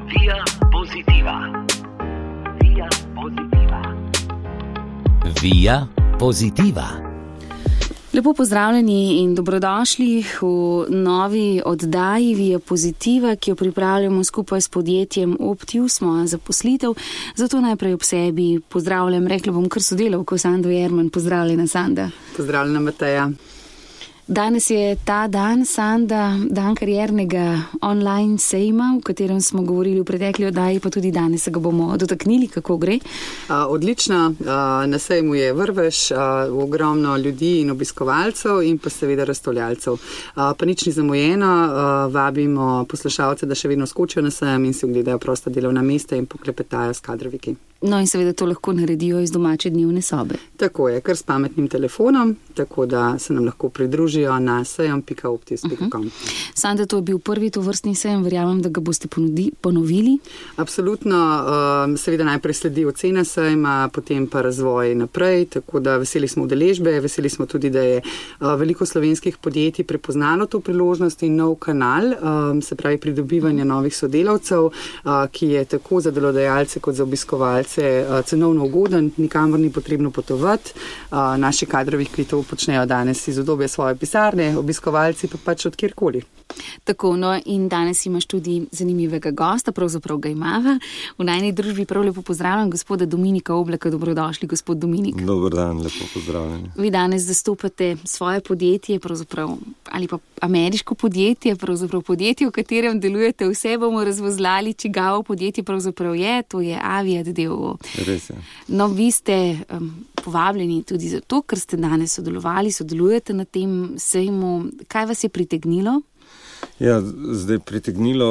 Via Positiva. Via Positiva. Via Positiva. Lepo pozdravljeni in dobrodošli v novi oddaji Via Positiva, ki jo pripravljamo skupaj s podjetjem Optius, moja zaposlitev. Zato najprej ob sebi pozdravljam, rekla bom kar sodelavko Sando Jerman. Pozdravljena, Sanda. Pozdravljena, Mateja. Danes je ta dan, Sanda, dan kariernega online sejma, v katerem smo govorili v pretekli oddaji, pa tudi danes se ga bomo dotaknili, kako gre. Odlično, na sejmu je vrvež, ogromno ljudi in obiskovalcev in pa seveda razstavljalcev. Pa nič ni zamujeno, vabimo poslušalce, da še vedno skočijo na sejem in si ogledajo prosta delovna mesta in poklepetajo s kadroviki. No in seveda to lahko naredijo iz domače dnevne sobe. Tako je, kar s pametnim telefonom, tako da se nam lahko pridružijo na sejem.optius.com. Sanda, to je bil prvi tovrstni sejem, verjamem, da ga boste ponovili. Absolutno, seveda najprej sledi ocena sejma, potem pa razvoj naprej, tako da veseli smo udeležbe, veseli smo tudi, da je veliko slovenskih podjetij prepoznalo to priložnost in nov kanal, se pravi pridobivanje novih sodelavcev, ki je tako za delodajalce kot za obiskovalce cenovno ugoden, nikamor ni potrebno potovati. Naši kadrovi, ki to počnejo danes iz udobja svoje pisarne, obiskovalci pa pač od kjerkoli. Tako, no in danes imaš tudi zanimivega gosta, pravzaprav ga imava. V najni družbi prav lepo pozdravljam gospoda Dominika Oblaka. Dobrodošli, gospod Dominik. Dober dan, lepo pozdravljeni. Vi danes zastopate svoje podjetje, pravzaprav, ali pa ameriško podjetje, pravzaprav podjetje, v katerem delujete. Vse bomo razvozlali, čigavo podjetje pravzaprav je, to je Aviat d.o.o. Res je. No, vi ste povabljeni tudi zato, ker ste danes sodelujete na tem sejmu. Kaj vas je pritegnilo? Ja, zdaj pritegnilo,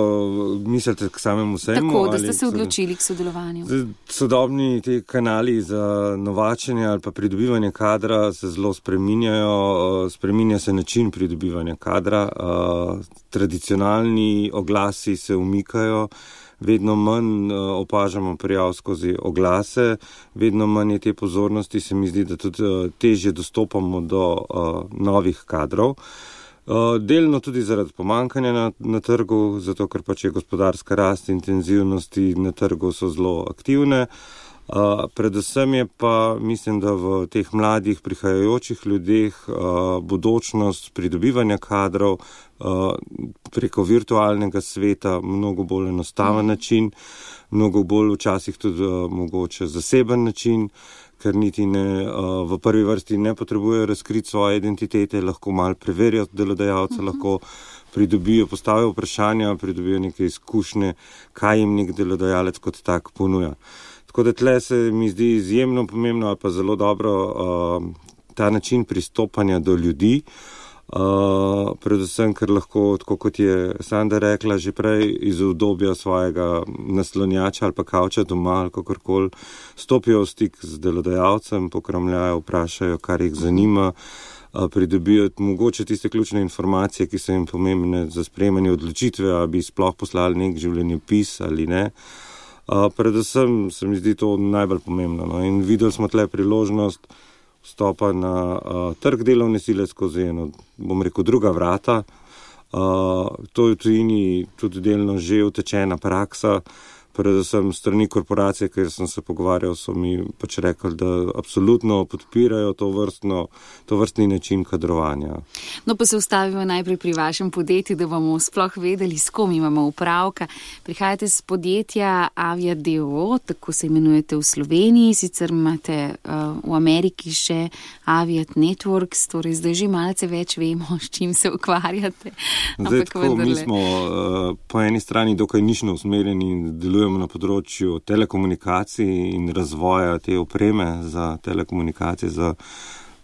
mislite k samemu sejmu? Tako, da ste se odločili k sodelovanju. Sodobni te kanali za novačenje ali pa pridobivanje kadra se zelo spreminjajo, spreminja se način pridobivanja kadra, tradicionalni oglasi se umikajo, vedno manj opažamo prijav skozi oglase, vedno manj je te pozornosti, se mi zdi, da tudi težje dostopamo do novih kadrov. Delno tudi zaradi pomankanja na trgu, zato ker pač je gospodarska rast, intenzivnosti na trgu so zelo aktivne. Predvsem je pa, mislim, da v teh mladih prihajajočih ljudeh bodočnost pridobivanja kadrov preko virtualnega sveta mnogo bolj enostaven način, mnogo bolj včasih tudi mogoče zaseben način, ker niti v prvi vrsti ne potrebujejo razkriti svoje identitete, lahko malo preverijo delodajalca, lahko pridobijo, postavijo vprašanja, pridobijo neke izkušnje, kaj jim nek delodajalec kot tak ponuja. Tako da tle se mi zdi izjemno pomembno ali pa zelo dobro ta način pristopanja do ljudi, predvsem, ker lahko, tako kot je Sanda rekla, že prej iz udobja svojega naslonjača ali pa kavča doma ali kakorkoli stopijo v stik z delodajalcem, pokramljajo, vprašajo, kar jih zanima, pridobijo mogoče tiste ključne informacije, ki so jim pomembne za sprejemanje odločitve, ali bi sploh poslali nek življenjepis ali ne. Predvsem se mi zdi to najbolj pomembno. No? In videli smo tle priložnost vstopa na trg delovne sile skozi eno, bom rekel, druga vrata. To je v tujini tudi delno že utečena praksa, predvsem strani korporacije, ker sem se pogovarjal, so mi pač rekli, da absolutno podpirajo to vrstni način kadrovanja. No, pa se ustavimo najprej pri vašem podjetju, da bomo sploh vedeli, s kom imamo upravka. Prihajate z podjetja Aviat d.o.o., tako se imenujete v Sloveniji, sicer imate v Ameriki še Aviat Networks, torej zdaj že malce več vemo, s čim se ukvarjate. Zdaj tako, mi smo po eni strani dokaj nišno usmerjeni in delujemo na področju telekomunikacij in razvoja te opreme za telekomunikacije, za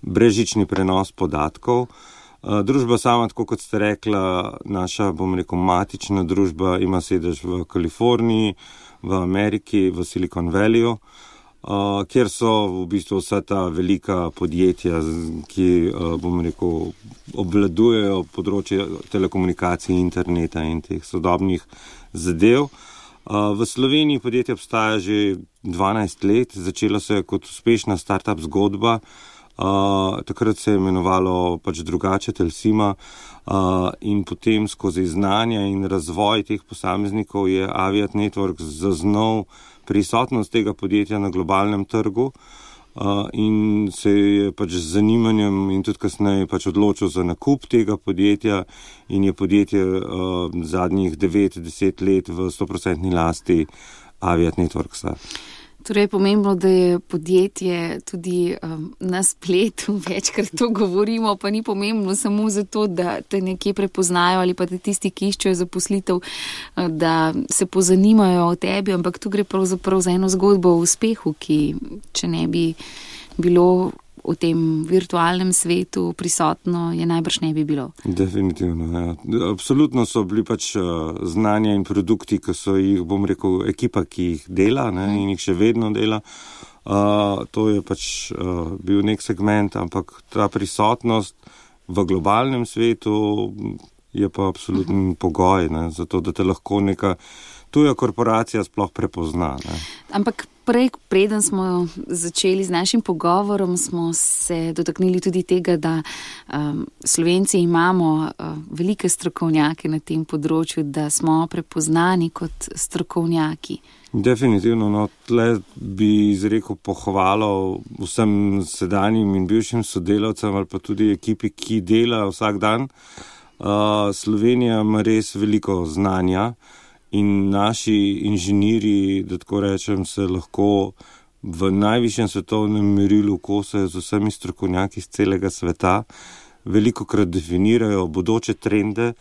brezžični prenos podatkov. Družba sama, tako kot ste rekla, naša, bom rekel, matična družba ima sedež v Kaliforniji, v Ameriki, v Silicon Valleyju, kjer so v bistvu vsa ta velika podjetja, ki, bom rekel, obvladujejo področje telekomunikacij, interneta in teh sodobnih zadev. V Sloveniji podjetje obstaja že 12 let, začelo se je kot uspešna startup zgodba, Takrat se je imenovalo pač drugače Telsima in potem skozi znanje in razvoj teh posameznikov je Aviat Network zaznal prisotnost tega podjetja na globalnem trgu in se je pač z zanimanjem in tudi kasneje pač odločil za nakup tega podjetja in je podjetje zadnjih 9-10 let v 100% lasti Aviat Networksa. Torej je pomembno, da je podjetje tudi na spletu, večkrat to govorimo, pa ni pomembno samo zato, da te nekje prepoznajo ali pa da tisti, ki iščejo zaposlitev, da se pozanimajo o tebi, ampak tu gre pravzaprav za eno zgodbo o uspehu, ki če ne bi bilo v tem virtualnem svetu prisotno, je najbrž ne bi bilo. Definitivno, ja. Absolutno so bili pač znanja in produkti, ki so jih, bom rekel, ekipa, ki jih dela, ne, in jih še vedno dela. To je pač bil nek segment, ampak ta prisotnost v globalnem svetu je pa absolutni pogoj, ne, zato da te lahko neka tuja korporacija sploh prepozna. Ne. Ampak preden smo začeli z našim pogovorom, smo se dotaknili tudi tega, da Slovenci imamo velike strokovnjake na tem področju, da smo prepoznani kot strokovnjaki. Definitivno, no, tle bi izrekel pohvalo vsem sedanjim in bivšim sodelavcem ali pa tudi ekipi, ki dela vsak dan. Slovenija ima res veliko znanja. In naši inženirji, da tako rečem, se lahko v najvišjem svetovnem merilu kosajo z vsemi strokovnjaki iz celega sveta, velikokrat definirajo bodoče trende,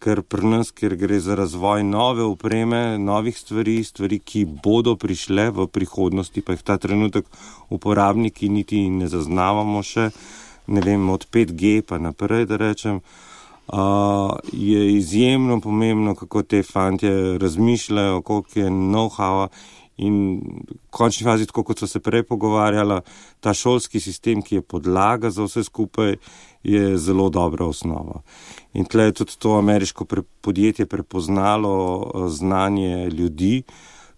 ker pri nas, ker gre za razvoj nove opreme, novih stvari, ki bodo prišle v prihodnosti, pa jih ta trenutek uporabniki niti ne zaznavamo še, ne vem, od 5G pa naprej, da rečem. Je izjemno pomembno, kako te fantje razmišljajo, koliko je know-howa in v končni fazi, tako kot so se prej pogovarjala, ta šolski sistem, ki je podlaga za vse skupaj, je zelo dobra osnova. In tle je tudi to ameriško podjetje prepoznalo znanje ljudi.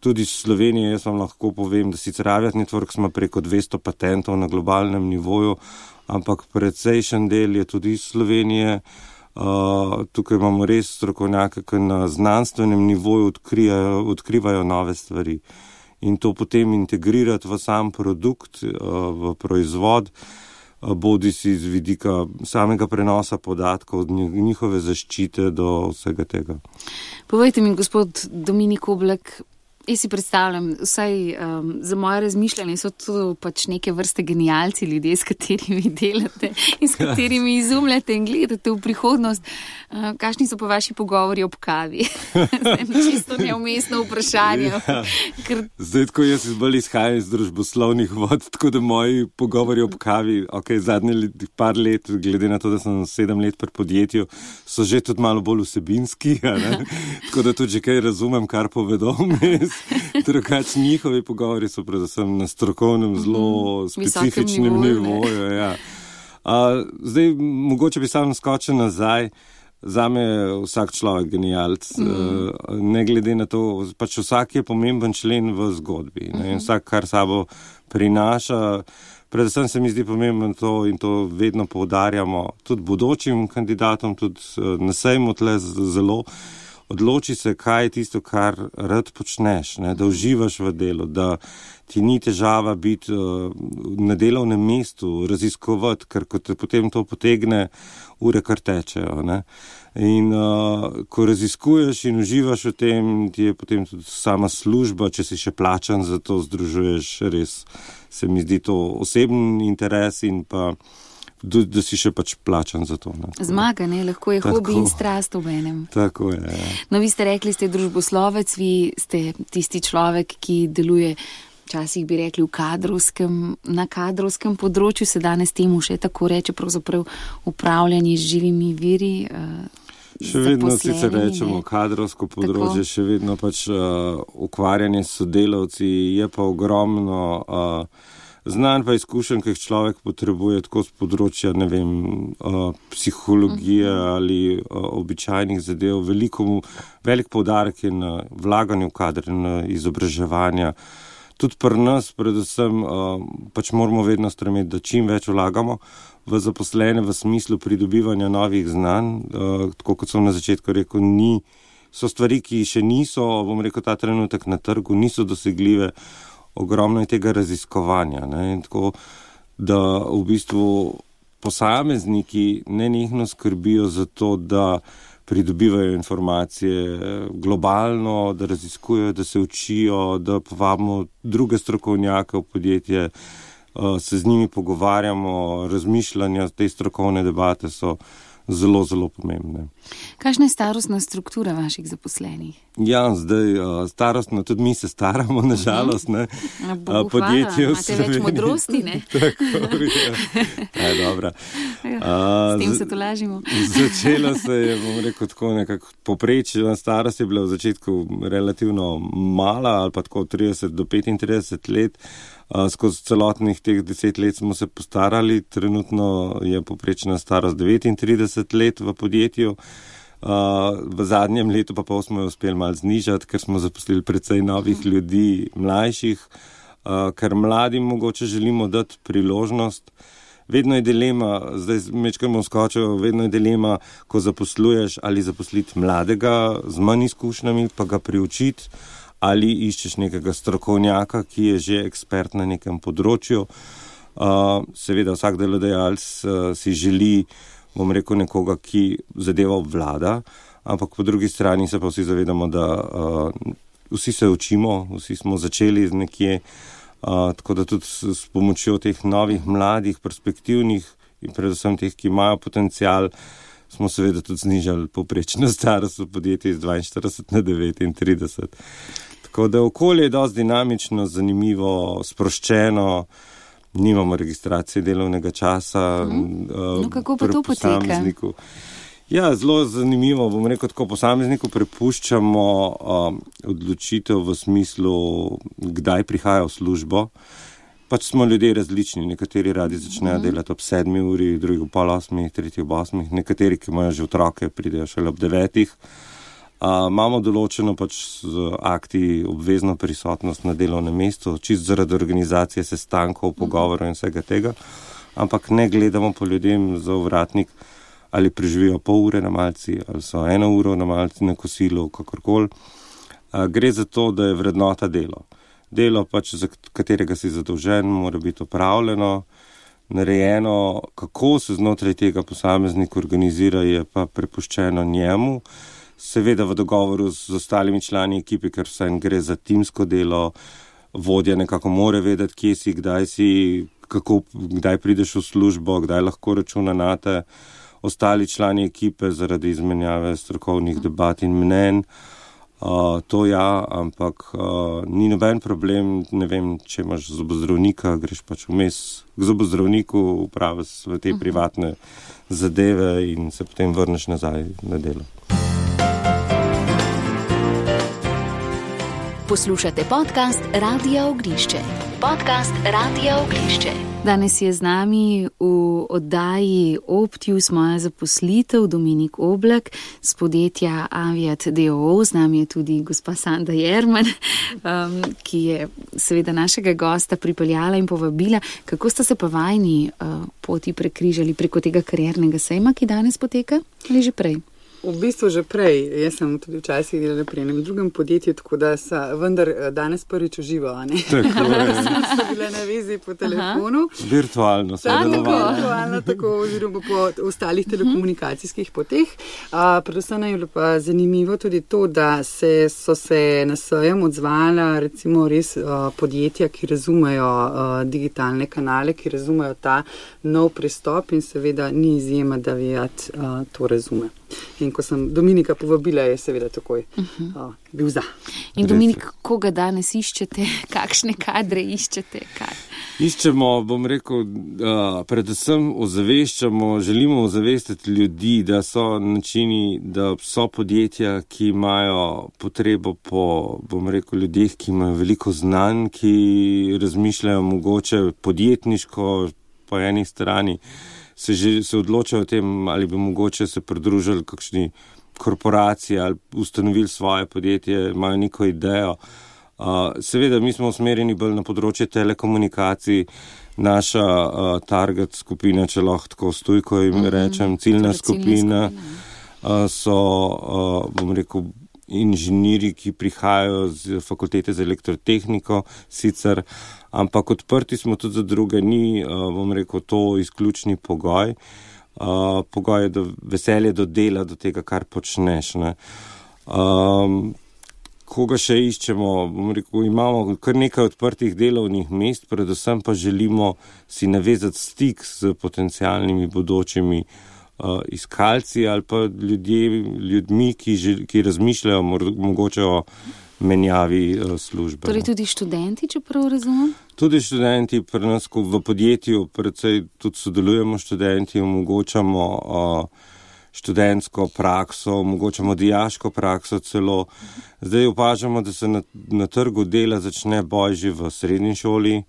Tudi v Sloveniji, jaz vam lahko povem, da sicer Aviat Networks ima preko 200 patentov na globalnem nivoju, ampak precejšen del je tudi iz Slovenije. Tukaj imamo res strokovnjake, ki na znanstvenem nivoju odkrivajo nove stvari. In to potem integrirati v sam produkt, v proizvod, bodi si z vidika samega prenosa podatkov, od njihove zaščite do vsega tega. Povejte mi, gospod Dominik Oblak, jaz si predstavljam, vsaj za moje razmišljanje so to pač neke vrste genialci ljudje, s katerimi delate in s katerimi izumljate in gledate v prihodnost. Kakšni so pa vaši pogovori ob kavi? Čisto neumestno vprašanje. Ja. Zdaj, ko jaz bolj izhajam iz družboslovnih vod, tako da moji pogovori ob kavi, zadnje par let, glede na to, da sem 7 let pri podjetju, so že tudi malo bolj vsebinski, tako da tudi že kaj razumem, kar povedo mes. Drugač njihovi pogovori so predvsem na strokovnem, zelo specifičnem nivoju. Ja. Zdaj, mogoče bi sam skočil nazaj. Zame je vsak človek genialc. Ne glede na to, pač vsak je pomemben člen v zgodbi. In vsak, kar sabo prinaša. Predvsem se mi zdi pomembno to in to vedno poudarjamo tudi bodočim kandidatom, tudi na sejmu tle zelo. Odloči se, kaj je tisto, kar rad počneš, ne? Da uživaš v delu, da ti ni težava biti na delovnem mestu, raziskovati, ker ko te potem to potegne, ure kar tečejo. Ne? In ko raziskuješ in uživaš v tem, ti je potem tudi sama služba, če si še plačan za to, združuješ res, se mi zdi to oseben interes in pa da si še pač plačan za to. Ne? Zmaga, ne? Lahko je hobi in strast v enem. Tako je, ja. No, vi ste rekli, ste družboslovec, vi ste tisti človek, ki deluje, včasih bi rekli, na kadrovskem področju, se danes temu še tako reče, pravzaprav upravljanje z živimi viri. Še vedno sicer rečemo kadrovsko področje, tako. Še vedno pač ukvarjanje s sodelavci, je pa ogromno znanj pa izkušenj, ki jih človek potrebuje tako z področja, ne vem, psihologije ali običajnih zadev. Velik poudarek je na vlaganju v kadre, na izobraževanja. tudi pri nas, predvsem, pač moramo vedno stremeti, da čim več vlagamo v zaposlene v smislu pridobivanja novih znanj. Tako kot sem na začetku rekel, so stvari, ki še niso, bom rekel, ta trenutek na trgu, niso dosegljive. Ogromno je tega raziskovanja. Ne? Tako, da v bistvu posamezniki nenehno skrbijo za to, da pridobivajo informacije globalno, da raziskujejo, da se učijo, da povabimo druge strokovnjake v podjetje, se z njimi pogovarjamo, razmišljanja, te strokovne debate so zelo, zelo pomembne. Kakšna je starostna struktura vaših zaposlenih? Ja, zdaj starostno, tudi mi se staramo, nažalost, ne. Podjetje v Sloveniji. Imate več modrosti, ne? Tako, ja, dobra. S tem se tolažimo. Začelo se je, bom rekel, tako nekako poprečna starost je bila v začetku relativno mala, ali pa tako 30 do 35 let. Skozi celotnih teh 10 let smo se postarali, trenutno je poprečna starost 39 let v podjetju. V zadnjem letu pa smo jo uspeli malo znižati, ker smo zaposlili precej novih ljudi, mlajših, ker mladim mogoče želimo dati priložnost. Vedno je dilema, zdaj mečkamo skočil, vedno je dilema, ko zaposluješ, ali zaposliti mladega z manj izkušnjami, pa ga priučiti, ali iščeš nekega strokovnjaka, ki je že ekspert na nekem področju. Seveda vsak delodajalec si želi, bom rekel, nekoga, ki zadeva obvlada, ampak po drugi strani se pa vsi zavedamo, da vsi se učimo, vsi smo začeli nekje, tako da tudi s pomočjo teh novih, mladih, perspektivnih in predvsem teh, ki imajo potencial, smo seveda tudi znižali povprečno starost v podjetju iz 42 na 39. Tako da okolje je dosti dinamično, zanimivo, sproščeno, nimamo registracije delovnega časa. No, kako pa to poteka? Ja, zelo zanimivo, bom rekel, tako posamezniku prepuščamo odločitev v smislu, kdaj prihaja v službo. Pač smo ljudje različni, nekateri radi začnejo delati ob 7 uri, drugi ob 7:30, tretji ob 8, nekateri, ki imajo že otroke, pridejo šele ob 9. Imamo določeno pač z akti obvezno prisotnost na delovnem mestu, čist zaradi organizacije sestankov, pogovorov in vsega tega, ampak ne gledamo po ljudem za ovratnik, ali preživijo pol ure na malci, ali so 1 uro na malci na kosilu, kakorkoli. Gre za to, da je vrednota delo. Delo pač, za katerega si zadolžen, mora biti opravljeno, narejeno, kako se znotraj tega posameznik organizira, je pa prepuščeno njemu. Seveda v dogovoru z ostalimi člani ekipe, ker vsem gre za timsko delo, vodja nekako mora vedeti, kje si, kdaj prideš v službo, kdaj lahko računa nate. Ostali člani ekipe zaradi izmenjave strokovnih debat in mnenj. To ja, ampak ni noben problem, ne vem, če imaš zobozdravnika, greš pač vmes k zobozdravniku, upraviš v te privatne zadeve in se potem vrneš nazaj na delo. Poslušate podcast Radia Ognišče. Podcast Radia Ognišče. Danes je z nami v oddaji Optius moja zaposlitev Dominik Oblak z podjetja Aviat d.o.o. Z nami je tudi gospa Sanda Jerman, ki je seveda našega gosta pripeljala in povabila. Kako sta se pa vajni poti prekrižali preko tega kariernega sejma, ki danes poteka, ali že prej? V bistvu že prej. Jaz sem tudi včasih delala pri enem drugem podjetju, tako da vendar danes prvič uživo, a ne? Tako je. So bile na vezi po telefonu. Virtualno se virtualno, tako oziroma po ostalih telekomunikacijskih poteh. Predvsem je bilo pa zanimivo tudi to, da so se na sejem odzvala recimo res podjetja, ki razumejo digitalne kanale, ki razumejo ta nov pristop in seveda ni izjema, da Aviat to razume. In ko sem Dominika povabila, je seveda takoj bil za. In Dominik, koga danes iščete? Kakšne kadre iščete? Iščemo, bom rekel, predvsem želimo ozavestiti ljudi, da so načini, da so podjetja, ki imajo potrebo po, bom rekel, ljudeh, ki imajo veliko znanj, ki razmišljajo mogoče podjetniško po eni strani, se odločajo o tem, ali bi mogoče se pridružili kakšni korporaciji ali ustanovili svoje podjetje, imajo neko idejo. Seveda, mi smo usmerjeni bolj na področje telekomunikacij, naša target skupina, če lahko tako stojko jim rečem, ciljna skupina so, bom rekel, inženirji, ki prihajajo z fakultete za elektrotehniko, sicer, ampak odprti smo tudi za druge, ni, bom rekel, to izključni pogoj. Pogoj je veselje do dela, do tega, kar počneš. Ne. Koga še iščemo? Bom rekel, imamo kar nekaj odprtih delovnih mest, predvsem pa želimo si navezati stik s potencialnimi bodočimi iskalci ali pa ljudmi, ki razmišljajo mogoče o menjavi službe. Torej tudi študenti, če prav razumem? Tudi študenti, pri nas v podjetju predvsej tudi sodelujemo študenti, omogočamo študentsko prakso, omogočamo dijaško prakso celo. Zdaj opažamo, da se na trgu dela začne boj že v srednji šoli.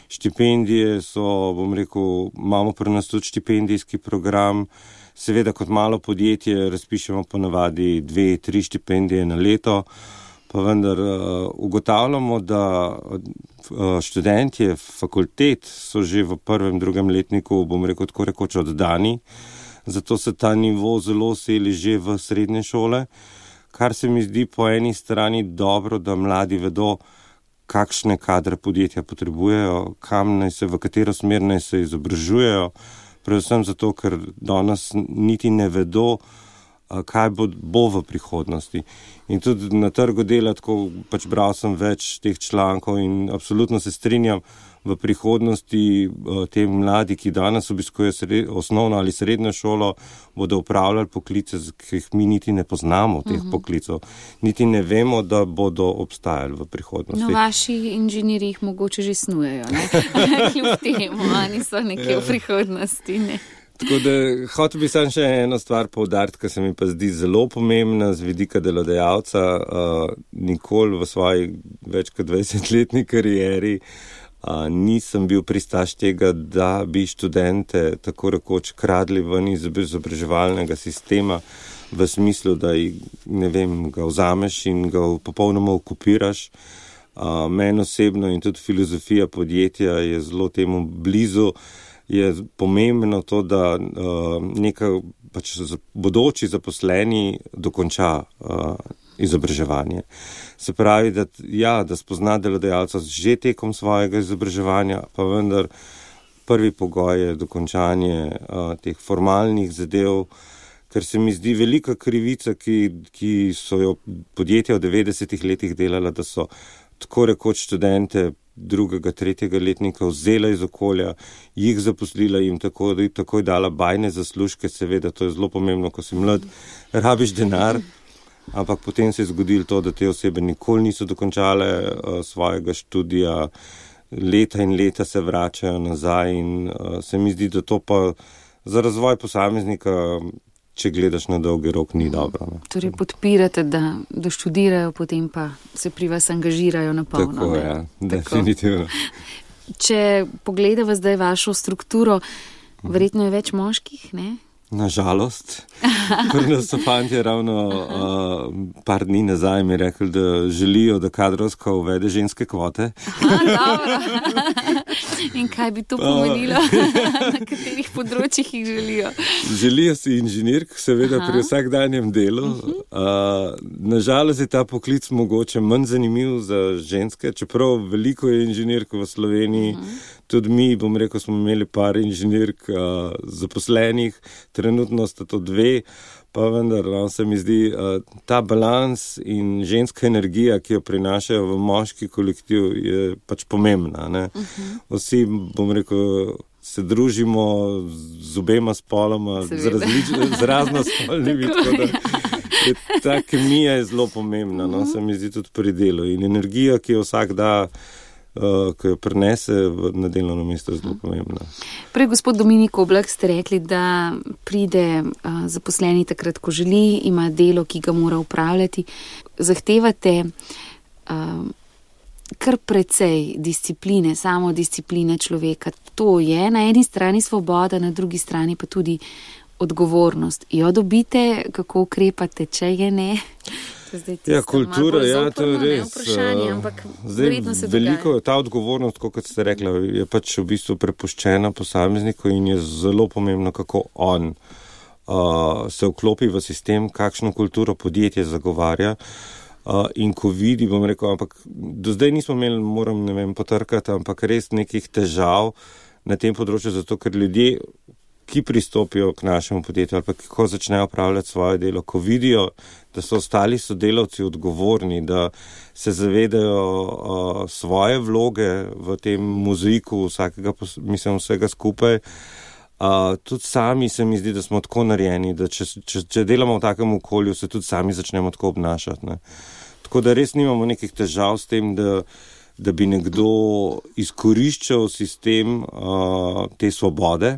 Štipendije so, bom rekel, imamo pri nas tudi štipendijski program. Seveda kot malo podjetje razpišemo ponavadi 2-3 štipendije na leto, pa vendar ugotavljamo, da študentje fakultet so že v prvem, drugem letniku, bom rekel, tako rekoč oddani, zato se ta nivo zelo seli že v srednje šole, kar se mi zdi po eni strani dobro, da mladi vedo, kakšne kadre podjetja potrebujejo, kam naj se, v katero smer naj se izobražujejo, predvsem zato, ker danes niti ne vedo, kaj bo v prihodnosti. In tudi na trgu dela, tako pač bral sem več teh člankov in absolutno se strinjam, v prihodnosti te mladi, ki danes obiskujejo osnovno ali srednjo šolo, bodo upravljali poklice, ki jih mi niti ne poznamo, teh poklicov. Niti ne vemo, da bodo obstajali v prihodnosti. No, vaši inženirji jih mogoče že snujejo, ne? Kljub temu, oni so nekje v prihodnosti, ne? Tako da hotel bi sam še eno stvar poudariti, ki se mi pa zdi zelo pomembna z vidika delodajalca. Nikoli v svoji več kot 20-letni karieri nisem bil pristaš tega, da bi študente tako rekoč kradli ven iz izobraževalnega sistema v smislu, da ga vzameš in ga popolnoma okupiraš. Meni osebno in tudi filozofija podjetja je zelo temu blizu. Je pomembno to, da neka pač bodoči zaposleni dokonča izobraževanje. Se pravi, da spozna delodajalca že tekom svojega izobraževanja, pa vendar prvi pogoj je dokončanje teh formalnih zadev, ker se mi zdi velika krivica, ki so jo podjetja v 90-ih letih delala, da so tako rekoč študente drugega, tretjega letnika vzela iz okolja, jih zaposlila in takoj dala bajne zaslužke. Seveda, to je zelo pomembno, ko si mlad, rabiš denar, ampak potem se je zgodilo to, da te osebe nikoli niso dokončale svojega študija, leta in leta se vračajo nazaj in se mi zdi, da to pa za razvoj posameznika, če gledaš na dolgi rok, ni dobro. Ne? Torej podpirate, da študirajo, potem pa se pri vas angažirajo na polno. Tako, ja, definitivno. Če pogledava zdaj vašo strukturo, verjetno je več moških, ne? Nažalost. Pri nas so fantje ravno par dni nazaj mi rekli, da želijo, da kadrovsko uvede ženske kvote. Dobro. In kaj bi to pomenilo? Na katerih področjih jih želijo? Želijo si inženirk, seveda pri vsakdanjem delu. Nažalost je ta poklic mogoče manj zanimiv za ženske, čeprav veliko je inženirk v Sloveniji. Tudi mi, bom rekel, smo imeli par inženirk zaposlenih, trenutno sta to 2, pa vendar se mi zdi ta balans in ženska energija, ki jo prinašajo v moški kolektiv, je pač pomembna. Ne? Vsi, bom rekel, se družimo z obema spoloma, z raznospolnimi, tako da ta kemija je zelo pomembna, no? Se mi zdi tudi pri delu in energija, ki jo vsak da, ki jo prenese na delovno mesto, zelo pomembna. Prej, gospod Dominik Oblak, ste rekli, da pride zaposleni takrat, ko želi, ima delo, ki ga mora upravljati. Zahtevate kar precej discipline, samodiscipline človeka. To je na eni strani svoboda, na drugi strani pa tudi odgovornost. Jo dobite, kako ukrepate, če je ne? Ja, kultura, ja, to je res. Zdaj, veliko ta odgovornost, kot ste rekla, je pač v bistvu prepuščena posamezniku in je zelo pomembno, kako on se vklopi v sistem, kakšno kulturo podjetje zagovarja. In ko vidi, bom rekel, ampak do zdaj nismo imeli, moram, potrkati, ampak res nekih težav na tem področju, zato ker ljudje, ki pristopijo k našemu podjetju ali pa ko začnejo upravljati svoje delo, ko vidijo, da so ostali sodelavci odgovorni, da se zavedajo svoje vloge v tem mozaiku vsega skupaj, tudi sami se mi zdi, da smo tako narejeni, da če delamo v takem okolju, se tudi sami začnemo tako obnašati. Ne. Tako da res nimamo nekih težav s tem, da bi nekdo izkoriščal sistem te svobode.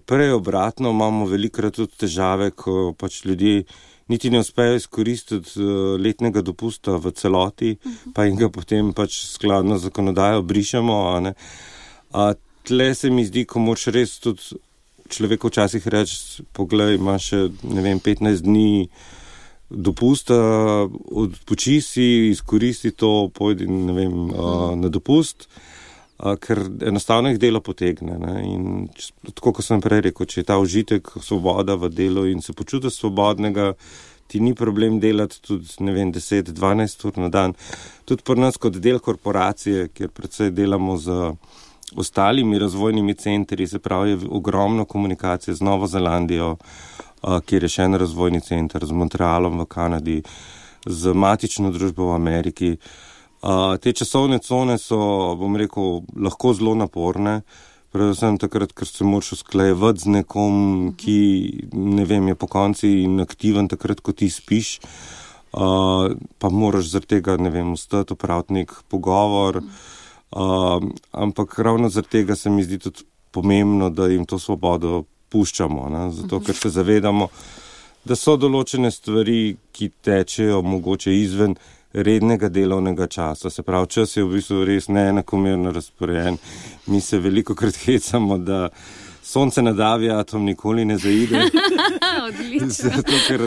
Prej obratno imamo velikokrat tudi težave, ko pač ljudje niti ne uspejo izkoristiti letnega dopusta v celoti, pa in ga potem pač skladno z zakonodajo brišemo. Tle se mi zdi, ko moč res tudi človeku včasih reči, poglej, ima še, 15 dni dopusta, odpoči si, izkoristi to, pojdi, na dopust, ker enostavno jih delo potegne. Ne? In tako, kot sem prej rekel, če je ta užitek, svoboda v delu in se počutiš svobodnega, ti ni problem delati tudi, 10-12 ur na dan. Tudi pri nas kot del korporacije, kjer predvsej delamo z ostalimi razvojnimi centri, se pravi, je ogromno komunikacije z Novo Zelandijo, kjer je še en razvojni center, z Montrealom v Kanadi, z matično družbo v Ameriki. Te časovne cone so, bom rekel, lahko zelo naporne, predvsem takrat, ker se moraš usklajevati z nekom, ki, je po konci inaktiven takrat, ko ti spiš, pa moraš zaradi tega, vstati, opraviti nek pogovor, ampak ravno zaradi tega se mi zdi tudi pomembno, da jim to svobodo puščamo, ne? Zato, ker se zavedamo, da so določene stvari, ki tečejo mogoče izven rednega delovnega časa. Se pravi, čas je v bistvu res neenakomerno razporejen. Mi se velikokrat hecamo, da sonce na davi atom nikoli ne zaide. Odlično. Zato, ker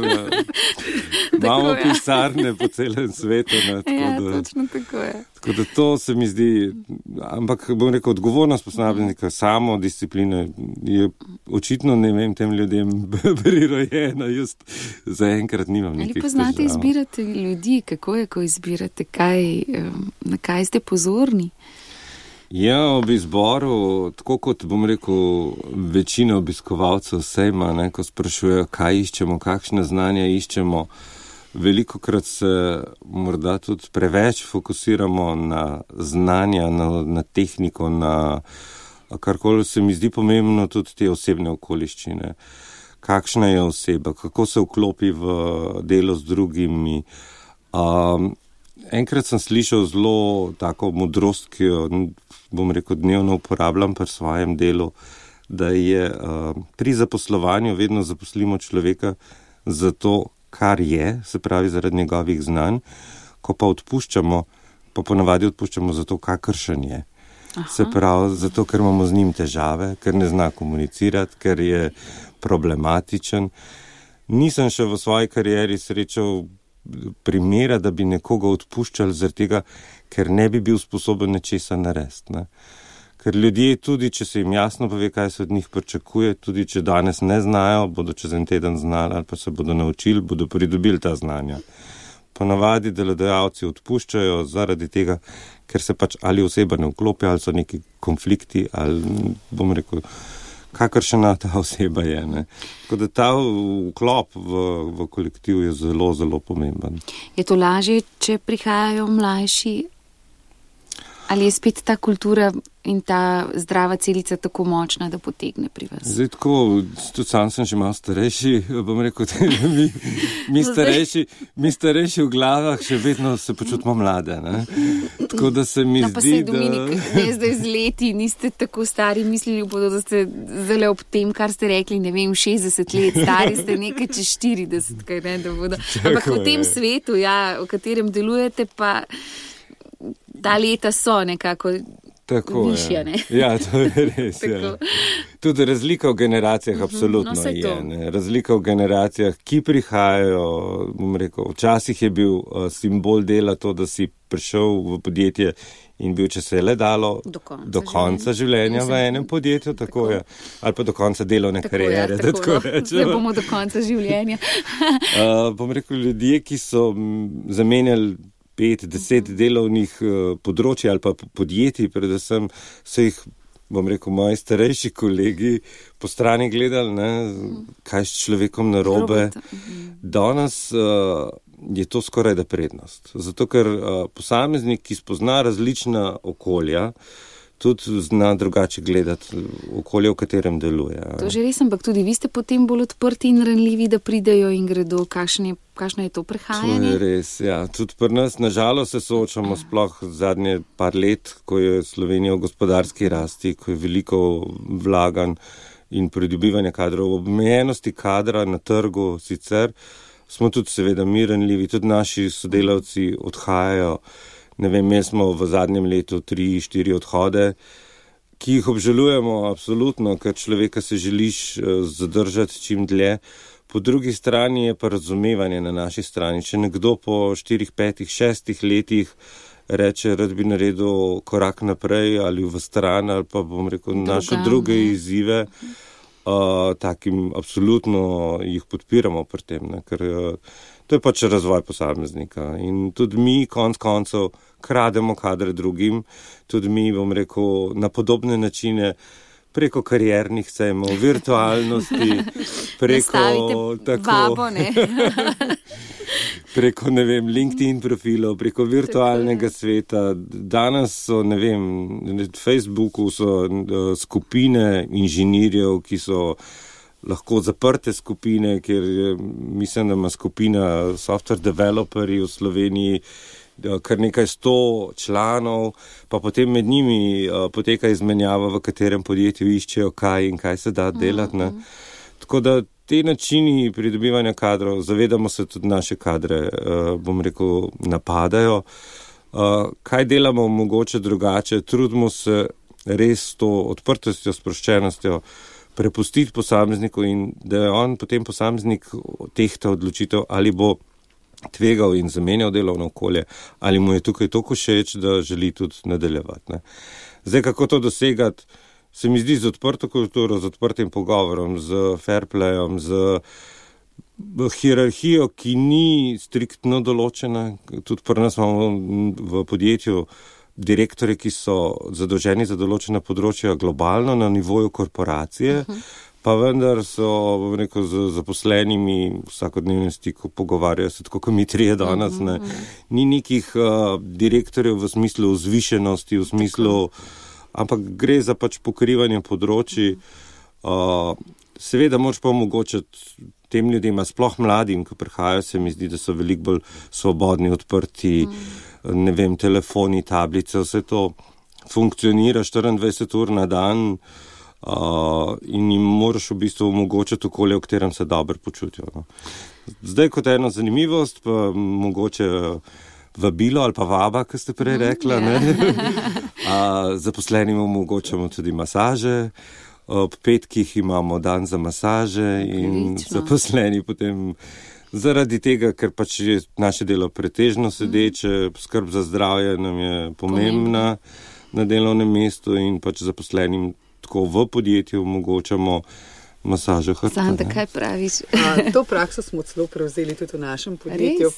imamo pisarne po celem svetu. Točno tako je. Tako da to se mi zdi, ampak bom rekel, odgovornost posameznika, samo disciplina je očitno, tem ljudem prirojena, just zaenkrat nimam nekih težav. Ali poznate izbirati ljudi, kako je, ko izbirate, na kaj ste pozorni? Ja, ob izboru, tako kot bom rekel, večina obiskovalcev sejma, ko sprašujejo, kaj iščemo, kakšne znanja iščemo, velikokrat se morda tudi preveč fokusiramo na znanja, na tehniko, na karkoli se mi zdi pomembno, tudi te osebne okoliščine. Kakšna je oseba, kako se vklopi v delo z drugimi. Enkrat sem slišal zelo tako modrost, ki jo, bom rekel, dnevno uporabljam pri svojem delu, da je pri zaposlovanju vedno zaposlimo človeka za to, kar je, se pravi zaradi njegovih znanj, ko pa odpuščamo, pa ponavadi odpuščamo zato, kakršen je. Aha. Se pravi, zato, ker imamo z njim težave, ker ne zna komunicirati, ker je problematičen. Nisem še v svoji karieri srečal primera, da bi nekoga odpuščali zaradi tega, ker ne bi bil sposoben nečesa narediti. Ne? Ker ljudje tudi, če se jim jasno pove, kaj se od njih pričakuje, tudi če danes ne znajo, bodo čez en teden znali ali pa se bodo naučili, bodo pridobili ta znanja. Ponavadi delodajalci odpuščajo zaradi tega, ker se pač ali oseba ne vklopi, ali so neki konflikti, ali bom rekel, kakršna ta oseba je. Ne. Tako da ta vklop v kolektiv je zelo, zelo pomemben. Je to lažje, če prihajajo mlajši? Ali je spet ta kultura in ta zdrava celica tako močna, da potegne pri vas? Zdaj tako, tudi sam sem že malo starejši, bom rekel, mi starejši v glavah še vedno se počutimo mlade. Ne? Tako da se mi zdi, da... Dominik, ne zdaj z leti, niste tako stari, mislili bodo, da ste zelo ob tem, kar ste rekli, 60 let, stari ste nekaj čez 40, kaj ne, da bodo. Ampak v tem svetu, v katerem delujete, pa... Ta leta so nekako višja, ne? Ja, to je res. Ja. Tudi razlika v generacijah absolutno je. Ne? Razlika v generacijah, ki prihajajo, bom rekel, včasih je bil simbol dela to, da si prišel v podjetje in bil, če se je le dalo, do konca življenja v enem podjetju, tako je, ali pa do konca delovne kariere. Zdaj bomo do konca življenja. Bom rekel, ljudje, ki so zamenjali 5-10 delovnih področji ali pa podjetij, predvsem so jih, bom rekel, moji starejši kolegi po strani gledali, ne, kaj s človekom narobe. Danes je to skoraj da prednost. Zato, ker posameznik, ki spozna različna okolja, tudi zna drugače gledati okolje, v katerem deluje. To že res, ampak tudi vi ste potem bolj odprti in ranljivi, da pridejo in gredo. Kakšno je to prehajanje? To je res, ja. Tudi pri nas, nažalost, se soočamo sploh zadnje par let, ko je Slovenija v gospodarski rasti, ko je veliko vlaganj in pridobivanja kadrov. V omejenosti kadra na trgu sicer smo tudi seveda mi ranljivi, tudi naši sodelavci odhajajo. Ne vem, imeli smo v zadnjem letu 3-4 odhode, ki jih obžalujemo absolutno, ker človeka se želiš zadržati čim dlje. Po drugi strani je pa razumevanje na naši strani. Če nekdo po 4, 5, 6 letih reče, rad bi naredil korak naprej ali v stran, ali pa bom rekel, našel druge izzive, takim absolutno jih podpiramo pri tem, ne, ker to je pač razvoj posameznika in tudi mi konec koncev krademo kadre drugim, tudi mi, bom rekel, na podobne načine preko kariernih sejmov, virtualnosti, preko vabo, ne? Preko, ne vem, LinkedIn profilov, preko virtualnega sveta. Danes so, ne vem, na Facebooku so skupine inženirjev, ki so lahko zaprte skupine, ker mislim, da ima skupina software developerji v Sloveniji kar nekaj 100 članov, pa potem med njimi poteka izmenjava, v katerem podjetju iščejo kaj in kaj se da delati. Ne? Tako da te načini pridobivanja kadrov, zavedamo se tudi naše kadre, bom rekel, napadajo. Kaj delamo mogoče drugače? Trudimo se res s to odprtostjo, sproščenostjo prepustiti posamezniku in da je on potem posameznik tehta odločitev, ali bo tvegal in zamenjal delovno okolje, ali mu je tukaj toliko všeč, da želi tudi nadaljevati. Ne. Zdaj, kako to dosegati, se mi zdi z odprto kulturo, z odprtim pogovorom, z fair playom, z hierarhijo, ki ni striktno določena. Tudi pri nas imamo v podjetju direktorje, ki so zadolženi za določena področja globalno na nivoju korporacije, pa vendar so, bom rekel, z zaposlenimi vsakodnevnem stiku pogovarjajo se, tako kot mi trije danes, ne. Ni nekih direktorjev v smislu vzvišenosti, v smislu, ampak gre za pač pokrivanje področji. Seveda moč pa omogočiti tem ljudem, sploh mladim, ki prihajajo, se mi zdi, da so veliko bolj svobodni, odprti, ne vem, telefoni, tablice, vse to funkcionira 24 ur na dan in jim moraš v bistvu omogočiti okolje, v katerem se dobro počutijo. No. Zdaj kot eno zanimivost, pa mogoče vabilo ali pa vaba, ki ste prej rekla, zaposlenim omogočamo tudi masaže, ob petkih imamo dan za masaže in zaposleni potem zaradi tega, ker pač je naše delo pretežno sedeče, skrb za zdravje nam je pomembna na delovnem mestu in pač zaposlenim tako v podjetju omogočamo masažo hrbta. Santa, kaj praviš? To prakso smo celo prevzeli tudi v našem podjetju.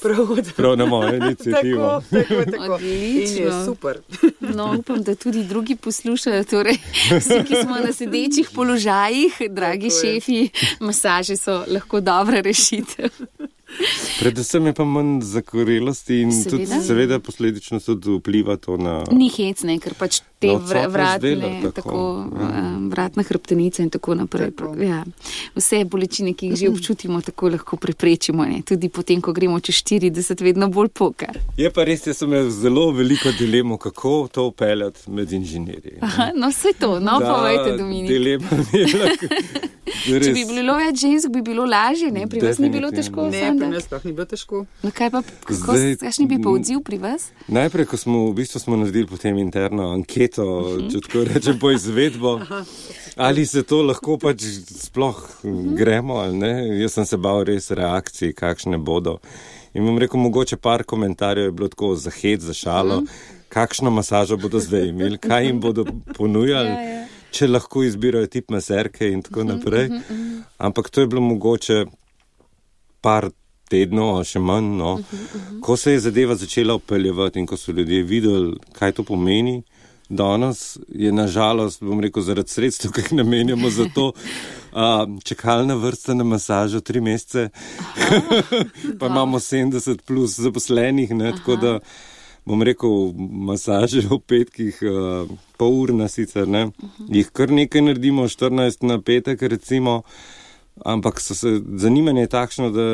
Prav na mojo inicijativo. Tako. In je super. No, upam, da tudi drugi poslušajo, torej vsi, ki smo na sedečih položajih, dragi šefi, masaže so lahko dobra rešitev. Predvsem je pa manj zakorelosti in tudi seveda posledično tudi vpliva to na... Ni hec, ne, ker pač te vratna hrbtenica in tako naprej. Ja. Vse bolečine, ki jih že občutimo, tako lahko preprečimo. Ne. Tudi potem, ko gremo čez 40, vedno bolj poka. Je pa res, jaz sem imel zelo veliko dilemo, kako to upeljati med inženirji. No, vse to, povejte, Dominik. Dilema je lahko... Če bi bilo več žensk, bi bilo lažje, ne? Pri vas ni bilo težko? Ne, pri nas sploh ni bilo težko. No kaj pa, kakšni bi pa odziv pri vas? Najprej, ko smo naredili potem interno anketo napeto, če tako rečem, po izvedbo. Ali se to lahko pač sploh gremo ali ne. Jaz sem se bal res reakcij, kakšne bodo. In bom rekel, mogoče par komentarjev je bilo tako za hec, za šalo, kakšno masažo bodo zdaj imeli, kaj jim bodo ponujali, če lahko izbirajo tip maserke in tako naprej. Ampak to je bilo mogoče par tednov, še manj, no. Ko se je zadeva začela upeljevati in ko so ljudje videli, kaj to pomeni, danes je nažalost, bom rekel, zaradi sredstev, ki jih namenjamo za to, čakalna vrsta na masažo 3 mesece, pa imamo 70 plus zaposlenih, ne, tako da bom rekel, masaže v petkih, pol urna sicer, ne, jih kar nekaj naredimo, 14 na petek recimo, ampak zanimanje je takšno, da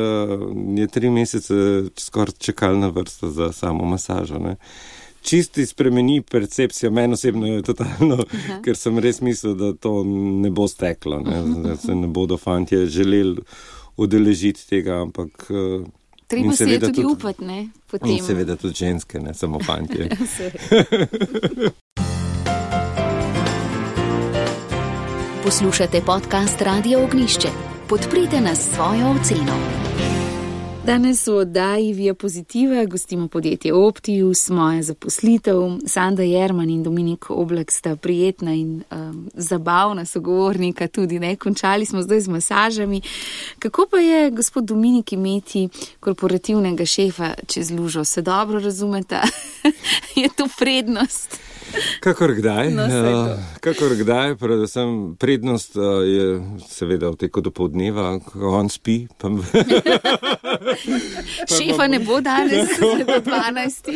je 3 mesece skoraj čakalna vrsta za samo masažo, ne. Čisti spremeni percepcija, meni osebno je totalno, ker sem res mislil, da to ne bo steklo, ne, da se ne bodo fantje želeli udeležiti tega, ampak treba se je tudi upati, ne? Potem. In seveda tudi ženske, ne samo fantje. Poslušate podcast Radio Ognjišče. Podprite nas s svojo oceno. Danes v oddaji Via Pozitiva gostimo podjetje Optius, moja zaposlitev. Sanda Jerman in Dominik Oblak sta prijetna in zabavna sogovornika tudi, ne? Končali smo zdaj z masažami. Kako pa je, gospod Dominik, imeti korporativnega šefa čez lužo? Se dobro razumeta? Je to prednost? Kakor kdaj, predvsem prednost je seveda v teku do poldneva, ko on spi. Šefa ne bo danes do 12.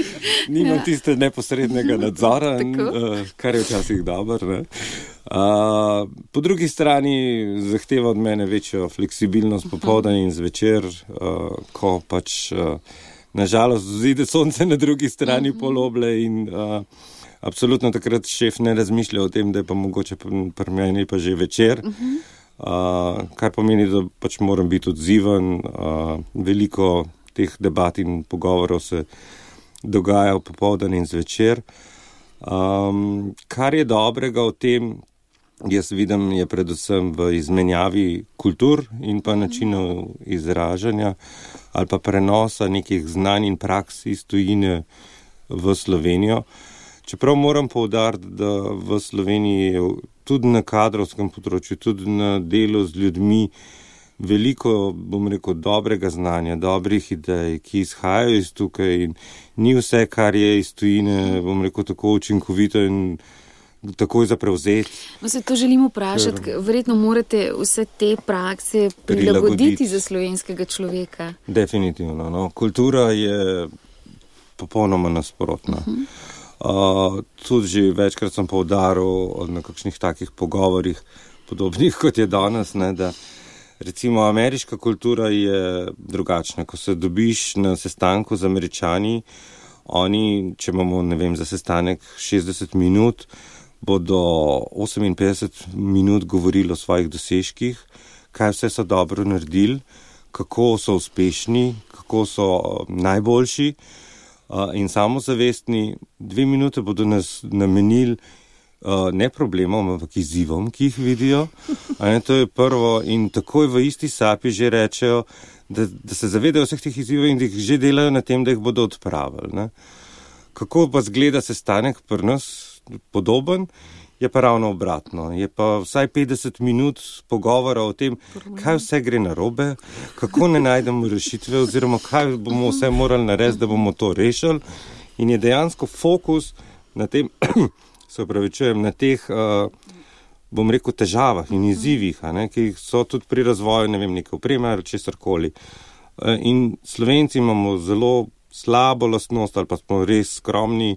Nimam tiste neposrednega nadzora, kar je včasih dobro. Po drugi strani zahteva od mene večjo fleksibilnost popoldan in zvečer, ko pač nažalost zide sonce na drugi strani poloble in absolutno takrat šef ne razmišlja o tem, da je pa mogoče pri meni pa že večer, kar pomeni, da pač moram biti odziven. Veliko teh debat in pogovorov se dogaja v popoldan in zvečer. Kar je dobrega v tem, jaz vidim, je predvsem v izmenjavi kultur in pa načinov izražanja ali pa prenosa nekih znanj in praks iz tujine v Slovenijo. Čeprav moram poudariti, da v Sloveniji tudi na kadrovskem področju, tudi na delu z ljudmi veliko, bom rekel, dobrega znanja, dobrih idej, ki izhajajo iz tukaj in ni vse, kar je iz tujine, bom rekel, tako učinkovito in takoj za prevzeti. No, se to želim vprašati, verjetno morate vse te prakse prilagoditi za slovenskega človeka. Definitivno, no. Kultura je popolnoma nasprotna. Tudi že večkrat sem poudaril na kakšnih takih pogovorih, podobnih kot je danes, ne, da recimo ameriška kultura je drugačna. Ko se dobiš na sestanku z Američani, oni, če imamo, ne vem, za sestanek 60 minut, bodo 58 minut govorili o svojih dosežkih, kaj vse so dobro naredili, kako so uspešni, kako so najboljši. In samozavestni, 2 minute bodo nas namenili ne problemom, ampak izzivom, ki jih vidijo. To je prvo in takoj v isti sapi že rečejo, da se zavedajo vseh teh izzivov in da jih že delajo na tem, da jih bodo odpravili. Ne. Kako pa zgleda sestanek pri nas podoben, je pa ravno obratno. Je pa vsaj 50 minut pogovora o tem, kaj vse gre narobe, kako ne najdemo rešitve oziroma kaj bomo vse morali narediti, da bomo to rešili. In je dejansko fokus na tem, na teh, bom rekel, težavah in izzivih, ki so tudi pri razvoju, ne vem, neke opreme ali česarkoli. In Slovenci imamo zelo slabo lastnost ali pa smo res skromni,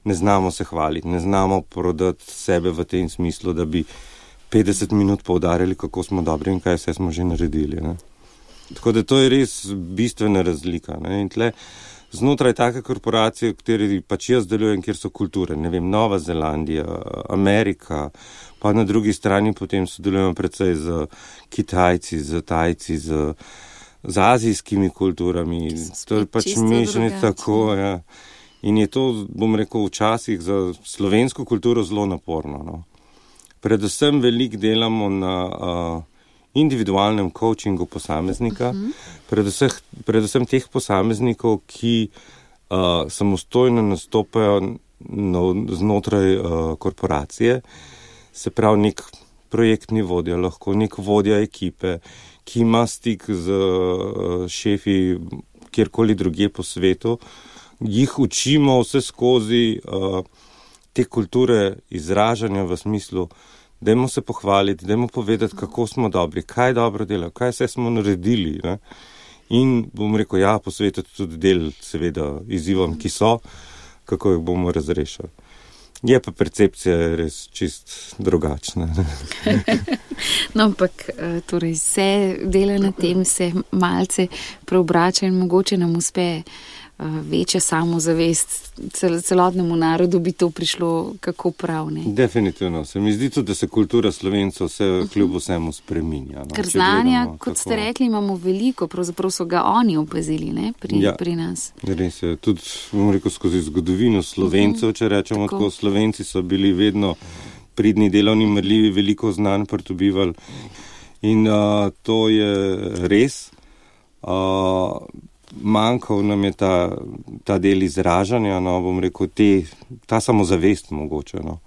ne znamo se hvaliti, ne znamo prodati sebe v tem smislu, da bi 50 minut poudarjali, kako smo dobri in kaj vse smo že naredili. Ne. Tako da to je res bistvena razlika. Ne. In tle, znotraj take korporacije, v kateri pač jaz delujem, kjer so kulture, ne vem, Nova Zelandija, Amerika, pa na drugi strani potem sodelujemo predvsej z Kitajci, z Tajci, z azijskimi kulturami. To je pač mešani tako, ja. In je to, bom rekel, včasih za slovensko kulturo zelo naporno. No. Predvsem veliko delamo na individualnem coachingu posameznika, predvsem teh posameznikov, ki samostojno nastopajo znotraj korporacije, se pravi nek projektni vodja, lahko nek vodja ekipe, ki ima stik z šefi kjerkoli drugje po svetu, jih učimo vse skozi te kulture izražanja v smislu, dajmo se pohvaliti, dajmo povedati, kako smo dobri, kaj dobro delajo, kaj vse smo naredili. Ne? In bom rekel, ja, posvetiti tudi del, seveda, izzivom, ki so, kako jih bomo razrešili. Je pa percepcija res čist drugačna. No, ampak torej se dela na tem, se malce preobrača in mogoče nam uspe večja samozavest, celotnemu narodu bi to prišlo kako prav, ne? Definitivno. Se mi zdi tudi, da se kultura Slovencev vse kljub vsemu spreminja. No? Ker znanja, kot ste rekli, imamo veliko, pravzaprav so ga oni opazili, ne? Pri nas. Res je. Tudi, bom rekel, skozi zgodovino Slovencev, če rečemo tako, Slovenci so bili vedno pridni, delovni, marljivi, veliko znanj pridobivali. In to je res. Manjkal nam je ta del izražanja, no, bom rekel, ta samozavest mogoče, no,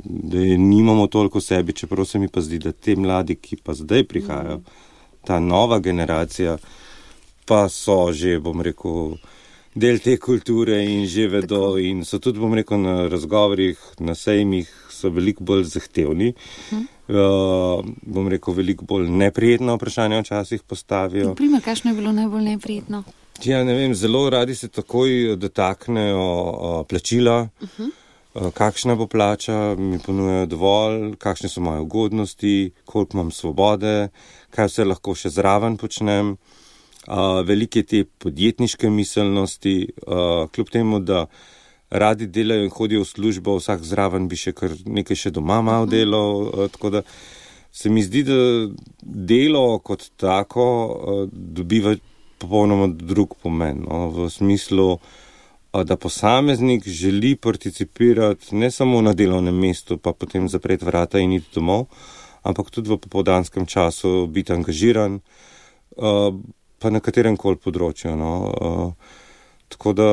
da je nimamo toliko sebi, čeprav se mi pa zdi, da te mladi, ki pa zdaj prihajajo, ta nova generacija, pa so že, bom rekel, del te kulture in že vedo in so tudi, bom rekel, na razgovorih, na sejmih so veliko bolj zahtevni. Bom rekel, veliko bolj neprijetno vprašanje včasih postavijo. Naprimer, kakšno je bilo najbolj neprijetno? Ja, ne vem, zelo radi se takoj dotaknejo plačila, kakšna bo plača, mi ponujajo dovolj, kakšne so moje ugodnosti, koliko imam svobode, kaj vse lahko še zraven počnem. Velike te podjetniške miselnosti, kljub temu, da radi delajo in hodijo v službo, vsak zraven bi še kar nekaj še doma malo delal, tako da se mi zdi, da delo kot tako dobiva popolnoma drug pomen, no, v smislu, da posameznik želi participirati ne samo na delovnem mestu, pa potem zapreti vrata in iti domov, ampak tudi v popoldanskem času biti angažiran, pa na katerem koli področju, no. Tako da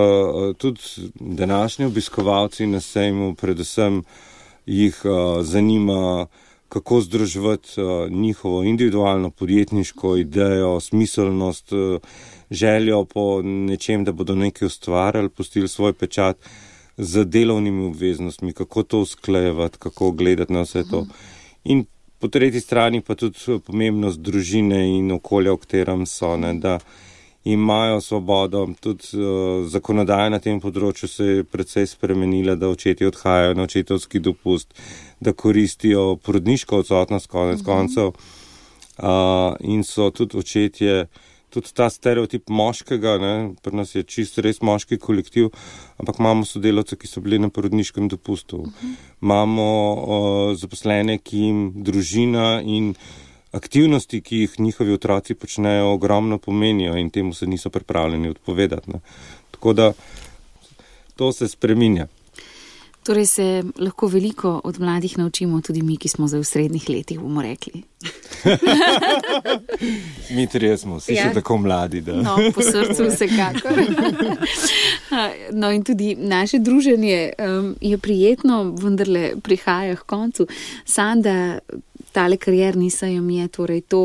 tudi današnji obiskovalci na sejmu predvsem jih zanima, kako združevati njihovo individualno podjetniško idejo, smiselnost, željo po nečem, da bodo nekaj ustvarjali, pustili svoj pečat z delovnimi obveznostmi, kako to usklajevati, kako gledati na vse to. In po tretji strani pa tudi pomembnost družine in okolja, v katerem so, ne, da imajo svobodo, tudi zakonodaja na tem področju se je precej spremenila, da očetje odhajajo na očetovski dopust, da koristijo porodniško odsotnost konec koncev in so tudi očetje, tudi ta stereotip moškega, ne, pri nas je čisto res moški kolektiv, ampak imamo sodelavce, ki so bili na porodniškem dopustu. Imamo zaposlene, ki jim družina in aktivnosti, ki jih njihovi otroci počnejo, ogromno pomenijo in temu se niso pripravljeni odpovedati. Ne. Tako da to se spreminja. Torej se lahko veliko od mladih naučimo, tudi mi, ki smo zdaj v srednjih letih, bomo rekli. Mi trije smo, vsi še tako mladi. Da. No, po srcu vsekakor. No in tudi naše druženje je prijetno, vendarle prihaja k koncu. Sanda, tale karierni sejem je torej to,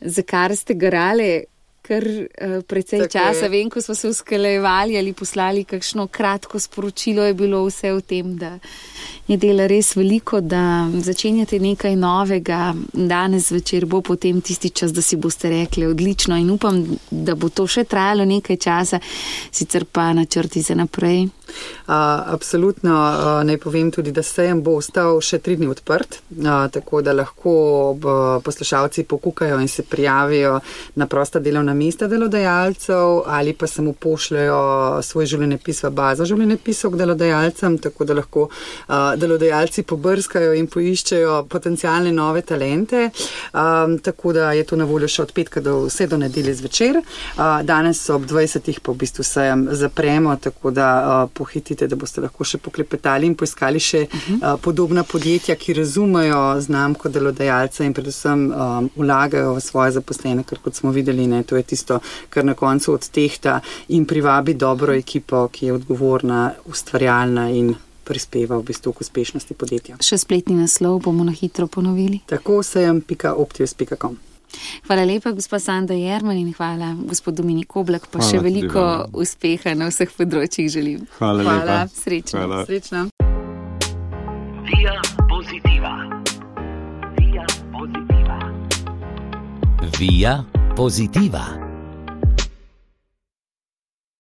za kar ste garale kar precej časa. Vem, ko smo se usklajevali ali poslali kakšno kratko sporočilo, je bilo vse v tem, da je dela res veliko, da začenjate nekaj novega. Danes večer bo potem tisti čas, da si boste rekli odlično in upam, da bo to še trajalo nekaj časa, sicer pa načrti za naprej. Absolutno, naj povem tudi, da sejem bo ostal še 3 dni odprt, tako da lahko poslušalci pokukajo in se prijavijo na prosta delovna mesta delodajalcev ali pa samo pošljajo svoj življenjepis v bazo življenjepisov k delodajalcem, tako da lahko delodajalci pobrskajo in poiščejo potencialne nove talente, tako da je to na voljo še od petka vse do nedelje zvečer. Danes ob 20. pa v bistvu sejem zapremo, tako da pohitite, da boste lahko še poklepetali in poiskali še podobna podjetja, ki razumejo znamko delodajalca in predvsem vlagajo v svoje zaposlene, ker kot smo videli, ne, to je tisto, kar na koncu odtehta in privabi dobro ekipo, ki je odgovorna, ustvarjalna in prispeva v bistvu k uspešnosti podjetja. Še spletni naslov bomo na hitro ponovili. Tako sejem.optius.com. Hvala lepa, gospod Sanda Jerman, in hvala, gospod Dominik Oblak, pa še veliko uspeha na vseh področjih želim. Hvala lepa. Srečno. Hvala. Srečno. Via Positiva. Via Positiva. Via Positiva.